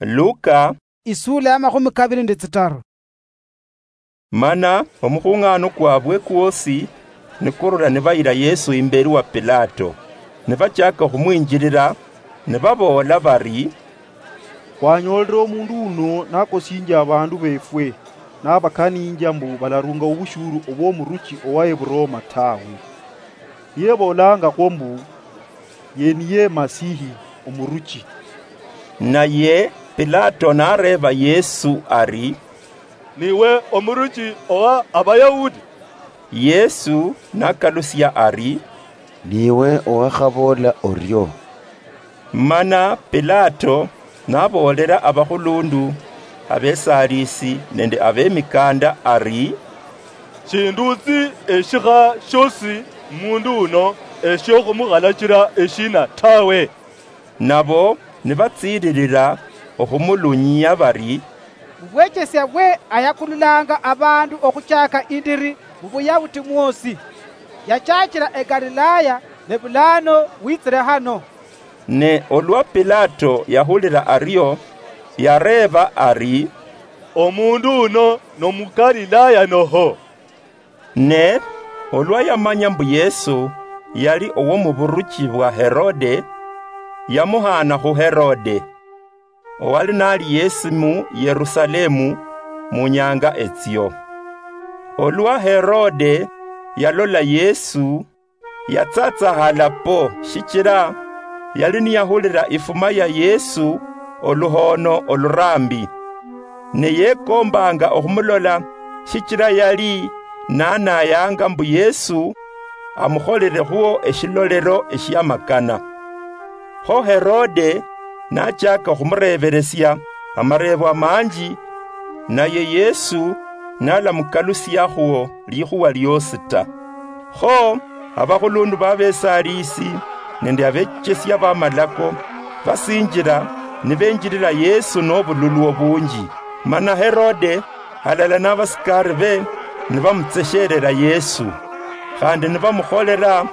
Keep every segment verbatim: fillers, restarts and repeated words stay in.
Luka. Isuula ya makhumi kabili nende tsitaru. Mana omukhung'ano kwabwe kwosi nikurula nibayila Yesu imbeli wa Pilato, nibachaka okhumwinjilila, nibaboola bari, "Khwanyoolile omundu uno nakosinjia abandu befwe, nabakaninjia mbu balarunga obushuru obwomuruchi owa Eburoma tawe. Niye eboolangakho mbu, ye niye Masihi omuruchi." Naye Pilato nareeba Yesu ari, "Niwe omuruchi owa Abayahudi?" Yesu nakalusia ari, "Niwe owakhaboola orio." Mana Pilato naboolela abakhulundu, abesaliisi nende abemikanda ari, "Shinduutsi eshikha shiosi mundu uno eshiokhumukhalachila eshina tawe." Nabo nibatsiililila okhumulunyia bari, "Mubwechesia bwe ayakululanga abandu okhuchaaka indiri mubuyahudi mwosi. Yachaachila eGalilaya ne bulano witsile hano." Ne olwa Pilato yahulila ario, yareeba ari, "Omundu uno nomuGalilaya noho?" Ne olwa yamanya mbu Yesu yali owomuburuchi bwa Herode, yamuhaana khu Herode, owali nali yesi mu Yerusalemu mu nyanga etsio. Olwa Herode yalola Yesu, yatsatsahala po, shichila yali niyahulila ifuma ya Yesu oluhoono olurambi. Ne yekombanga okhumulola, shichila yali nanayanga mbu Yesu amukholelekhwo eshilolelo eshiamakana. Kho Herode nachaka okhumureebelesia amareebo amanji, naye Yesu nalamukalusiakhwo likhuwa liosi ta. Kho abakhulundu babesaliisi nende abechesia bamalako basinjila nibenjilila Yesu nobululu obunji. Mana Herode halala nabasikaribe nibamutseshelela Yesu, khandi nibamukholela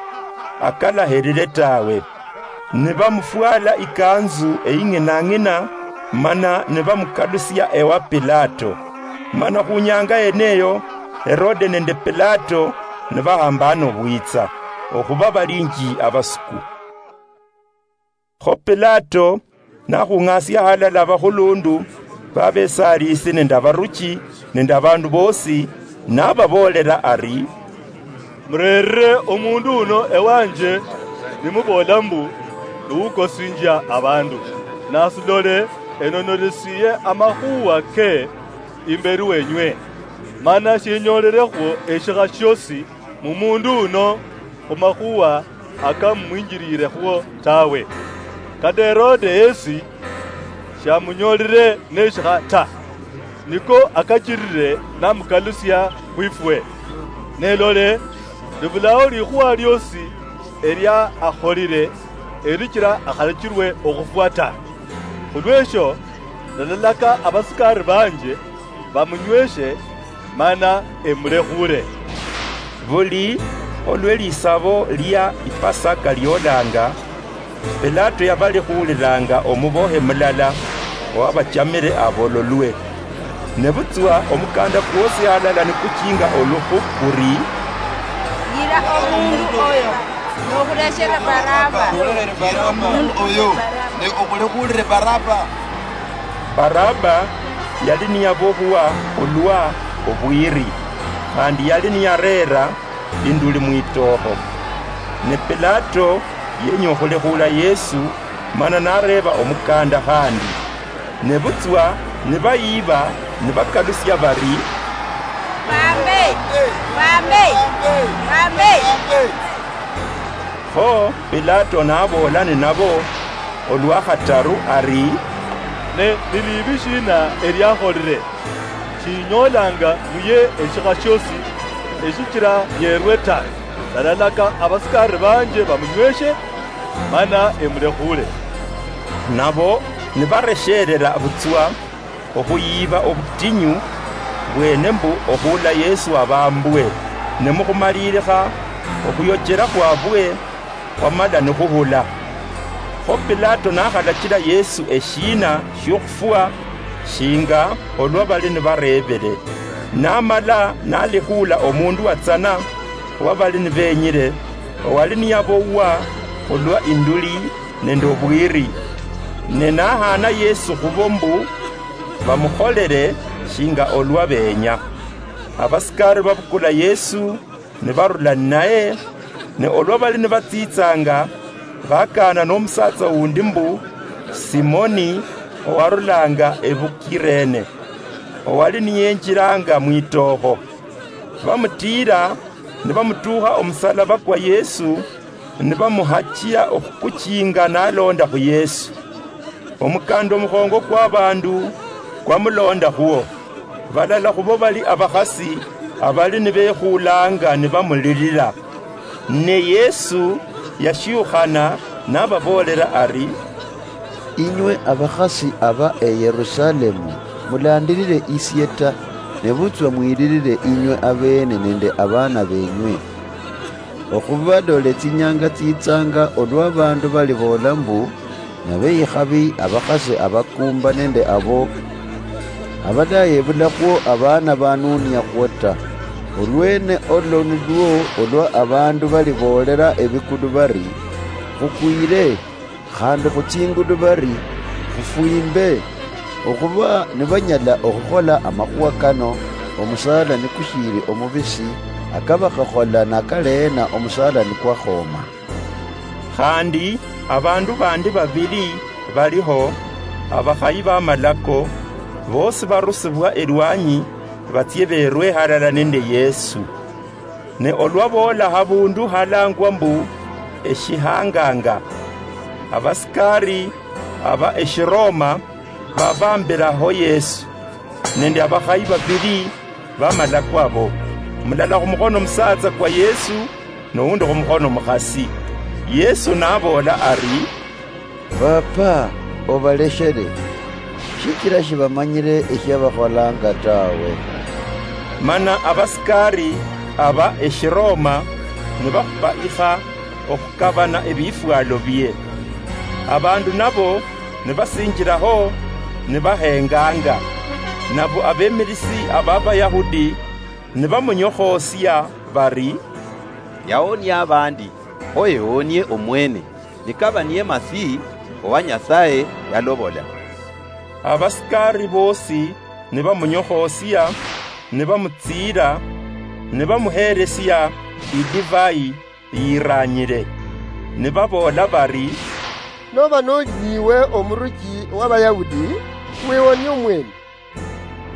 akalahelile tawe. Nibamufwala ikanzu eying'inang'ina, mana nibamukalusia ewa Pilato. Mana khunyanga yeneyo, Herode nende Pilato nibahambana obwitsa, okhuba balinji abasuku. Kho Pilato nakhung'asia halala abakhulundu babesaliisi nende abaruchi nende abandu bosi, nababoolela ari, "Murerire omundu uno ewanje, nimuboola mbu, niwukosinjia abandu. Nasilole, enonolesiye amakhuwa ke imberi wenywe, mana shinyolerekhwo eshikha shiosi mumundu uno khumakhuwa akamumwinjiliilekhwo tawe. Kata Herode yesi shamunyolile neshikha ta, niko akachilile namukalusia khwifwe. Ne lole, nibulao likhuwa liosi elia akholile elichila akhalachilwe okhufwa ta. Khulwesho, ndalalaka abasikari banje bamunyweshe, mana emulekhuule." Buli olwe lisabo lia Ipasaka liolanga, Pilato yabalekhuulilanga omubohe mulala owabachamile abololwe. Nebutswa omukanda kwosi halala nikuchinga olukhu kuri, "Yira omundu oyo, nokhuleshele Baraba." Okhuleshele Baraba omundu oyo, ne okhulekhuulile Baraba. Baraba yali niyabohwa khulwa obwiri, khandi yali niyareera induli mwitookho. Ne Pilato yenya okhulekhuula Yesu, mana nareeba omukanda khandi. Nebutswa nibayiiba nibakalusia bari, "Bambe! Bambe! Bambe!" Kho Pilato naboola ninabo olwa khataru ari, "Ne ni liibi shiina eliakholile? Shinyoolanga muye eshikha shiosi eshichila yeerwe ta. Ndalalaka abasikari banje bamunyweshe, mana emulekhuule." Nabo nibaresheelela butswa okhuyiiba obutinyu bweene mbu okhuula Yesu abambwe, ne mukhumaliilikha okhuyochela khwabwe khwamala nikhuhula. Kho Pilato nakhalachila Yesu eshiina shiokhufwa, shinga olwa bali nibareebele. Namala nalekhuula omundu watsana wa bali nibenyile, owali niyabowa khulwa induli nende obwiri, ne nahaana Yesu khubo mbu bamukholele shinga olwa beenya. Abasikari babukula Yesu, nibarula ninaye, ne olwa bali nibatsitsanga, bakaana nomusatsa wundi mbu Simoni, owarulanga ebuKirene, owali niyenjilanga mwitookho. Bamutiira, nibamutuukha omusalaba kwa Yesu, nibamuhachia okhukuchinga nalonda khu Yesu. Omukanda omukhongo kwa bandu kwamulonda khwo. Balala khubo bali abakhasi abali nibekhuulanga nibamulilila. Ne Yesu yashiukhana nababoolera ari, "Inywe abakhasi aba e Yerusalemu, mulandilile isie ta, nebutswa mwililile inywe abeene nende abaana benywe. Okhuba dole tsinyanga tsitsanga olwa abandu baliboola mbu, nabe ikhabi abakhasi abakuumba nende abo abadayebulakhwo abaana banuuniakhwo ta. Olwene olo nilwo olwa abandu baliboolela ebikulu bari, 'Khukwiile,' khandi khutsingulu bari, 'Khufwiimbe.' Okhuba nibanyala okhukhola amakhuwa kano, omusaala nikushiili omubisi, akabakakhola nakaleena omusaala nikwakhooma." Khandi abandu bandi babili baliho, abakhayi bamalako, boosi barusibwa elwanyi, batsie berwe halala nende Yesu. Ne olwa boola habundu halangwa mbu Eshihanganga, abasikari aba Eshiroma babambilaho Yesu nende abakhayi babili bamalako abo, mulala khumukhono musatsa kwa Yesu, nowundi khumukhono mukhasi. Yesu naboola ari, "Paapa, obaleshele, shichila shibamanyile eshiabakholanga tawe." Mana abasikari aba Eshiroma nibakhupa ikha okhukabana ebifwalo bie. Abandu nabo nibasinjilaho nibahenganga. Nabo abemilisi aba Bayahudi nibamunyokhoosia bari, "Yahonia abandi, kho ehonie omwene, nikaba niye Masihi owa Nyasaye yalobola." Abasikari boosi nibamunyokhoosia, nibamutsiira, nibamuheelesia idivai yiranyile, nibaboola bari, "Noba noli niwe omuruchi w'Abayahudi, wihonie omwene."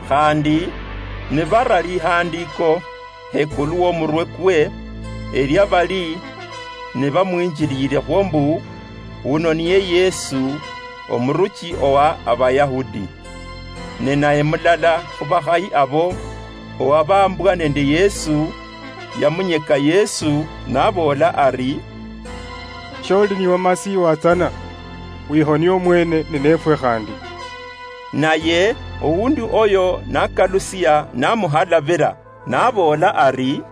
Khandi nibara lihandiiko hekulu womurwe kwe, elia bali nibamwinjiliilekhwo mbu, "Wuno niye Yesu, omuruchi owa Abayahudi." Ne naye mulala khubakhayi abo, owabambwa nende Yesu, yamunyeka Yesu, naboola ari, "Sholi niwe Masihi watsana, wihonie omwene ninefwe khandi." Naye owundi oyo nakalusia namuhalabila, naboola ari,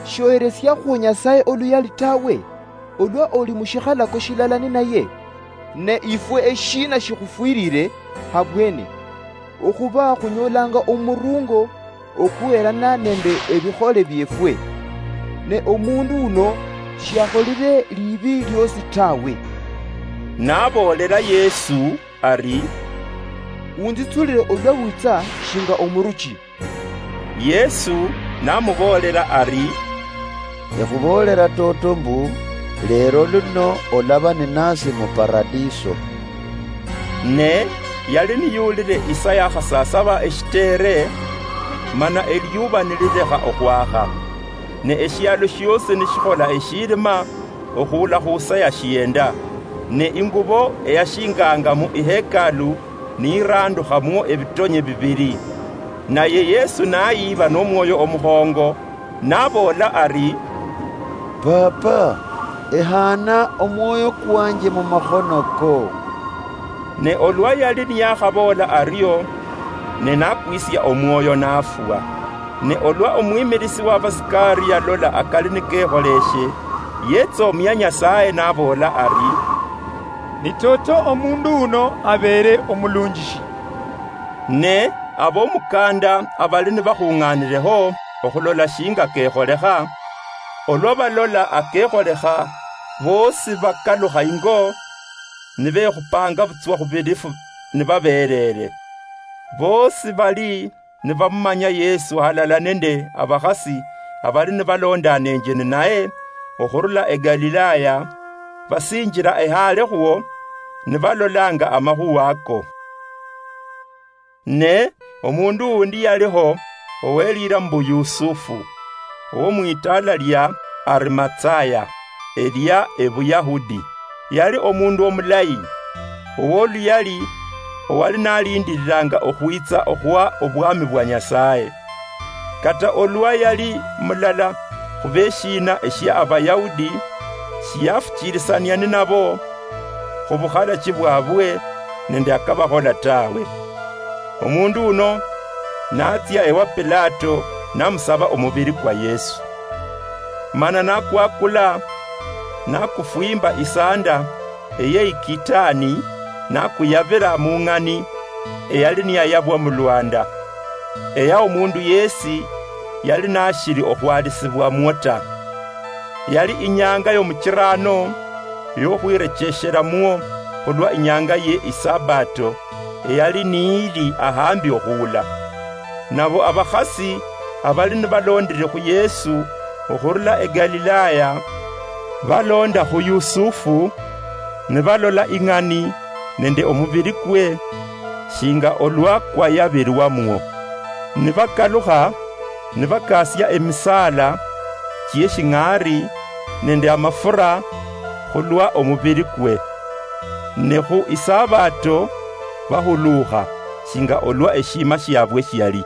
"Shoheresiakhwo Nyasaye oluyali tawe, olwa oli mushikhalako shilala ninaye? Ne ifwe eshiina shikhufwilile habwene? Okhuba khunyolanga omurungo okuhelana nende ebikhole biefwe. Ne omundu uno shiakholile libi liosi tawe." Naboolela Yesu ari, "Unzitsulile olwa witsa shinga omuruchi." Yesu namuboolela ari, "Ekhuboolela toto mbu, leero luno olaba ninasi mu Paradiso." Ne yali niyulile isa yakhasasaba eshiteere, mana eliyuba nililekha okhwakha, ne eshialo shiosi nishikhola eshilima, okhuula khu sa ya shienda. Ne ingubo eyashinganga mu ihekalu niyirandukhamwo ebitonye bibili. Naye Yesu nayiiba nomwoyo omukhongo, naboola ari, "Paapa, ehaana omwoyo kwanje mumakhono ko." Ne olwa yali niyakhaboola ario, ne nakwisia omwoyo, nafwa. Ne olwa omwimilisi wabasikari yalola akali nikekholeshe, yetsomia Nyasaye naboola ari, "Ni toto omundu uno abeere omulunjishi." Ne ab'omukanda abali nibakhung'aanireho okhulola shinga kekholekha, olwa balola akekholekha, boosi bakalukha ingo, nibekhupanga butswa khubilifu nibabeerere. Boosi bali nibamumanya Yesu halala nende abakhasi abali nibalondanenje ninaye okhurula eGalilaya, basinjira ehalekhwo, nibalolanga amakhuwa ako. Ne omundu wundi yaliho, owelira mbu Yusufu, owomwitala lia Arimatsaya, elia eBuyahudi. Yali omundu omulayi, owoluyali, owali nalindiriranga okhwitsa okhwa obwami bwa Nyasaye. Kata olwa yali mulala khubeshiina eshia Abayahudi, shiyafuchirisania ninabo khubukhalachi bwabwe nende akabakhola tawe. Omundu uno natsia ewa Pilato, namusaba omubiri kwa Yesu. Mana nakwakula, nakufwimba isanda eye ikitani, nakuyabira mung'ani eyali niyayabwa mulwanda, eya omundu yesi yali nashiri okhwalisibwamwo ta. Yali inyanga yomuchirano yokhwirechesheramwo khulwa inyanga ye Isabato, eyali niili ahambi okhuula. Nabo abakhasi abali nibalondire khu Yesu okhurula eGalilaya, balonda khu Yusufu, nibalola ing'ani nende omubiri kwe, shinga olwa kwayabirwamwo. Nibakalukha, nibakasia emisaala chieshing'ari nende amafura khulwa omubiri kwe. Ne khu Isabato bahuluukha, shinga olwa eshiima shiabwe shiali.